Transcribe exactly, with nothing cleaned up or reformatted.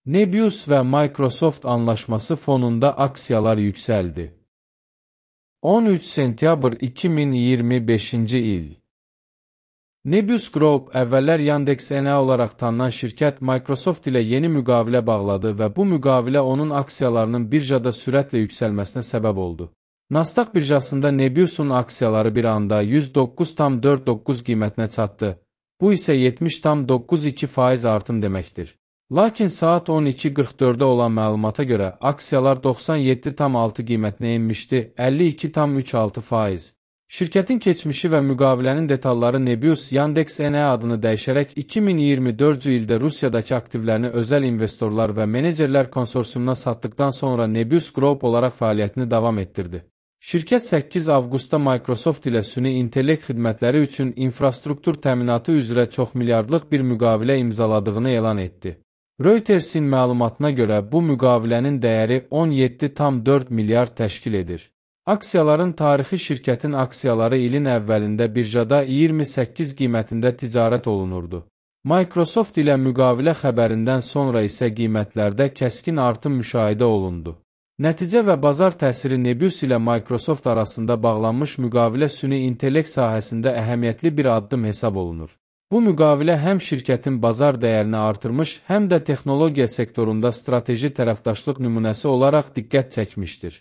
Nebius və Microsoft anlaşması fonunda aksiyalar yüksəldi. on üç sentyabr iki min iyirmi beşinci il. Nebius Group əvvəllər Yandex.N olaraq tanınan şirkət Microsoft ilə yeni müqavilə bağladı və bu müqavilə onun aksiyalarının birjada sürətlə yüksəlməsinə səbəb oldu. Nasdaq birjasında Nebiusun aksiyaları bir anda yüz doqquz tam dörd doqquz qiymətinə çatdı. Bu isə yetmiş tam doqquz iki faiz artım deməkdir. Lakin saat on iki qırx dördə olan məlumata görə aksiyalar doxsan yeddi tam altı qiymətinə enmişdi, əlli iki tam üç altı faiz. Şirkətin keçmişi və müqavilənin detalları Nebius Yandex.N adını dəyişərək iki min iyirmi dördüncü ildə Rusiyadakı aktivlərini özəl investorlar və menecerlər konsorsiyumuna satdıqdan sonra Nebius Group olaraq fəaliyyətini davam etdirdi. Şirkət səkkiz avqustda Microsoft ilə süni intellekt xidmətləri üçün infrastruktur təminatı üzrə çox milyardlıq bir müqavilə imzaladığını elan etdi. Reutersin məlumatına görə bu müqavilənin dəyəri on yeddi tam dörd milyard təşkil edir. Aksiyaların tarixi şirkətin aksiyaları ilin əvvəlində birjada iyirmi səkkiz qiymətində ticarət olunurdu. Microsoft ilə müqavilə xəbərindən sonra isə qiymətlərdə kəskin artım müşahidə olundu. Nəticə və bazar təsiri Nebius ilə Microsoft arasında bağlanmış müqavilə süni intellekt sahəsində əhəmiyyətli bir addım hesab olunur. Bu müqavilə həm şirkətin bazar dəyərini artırmış, həm də texnologiya sektorunda strateji tərəfdaşlıq nümunəsi olaraq diqqət çəkmişdir.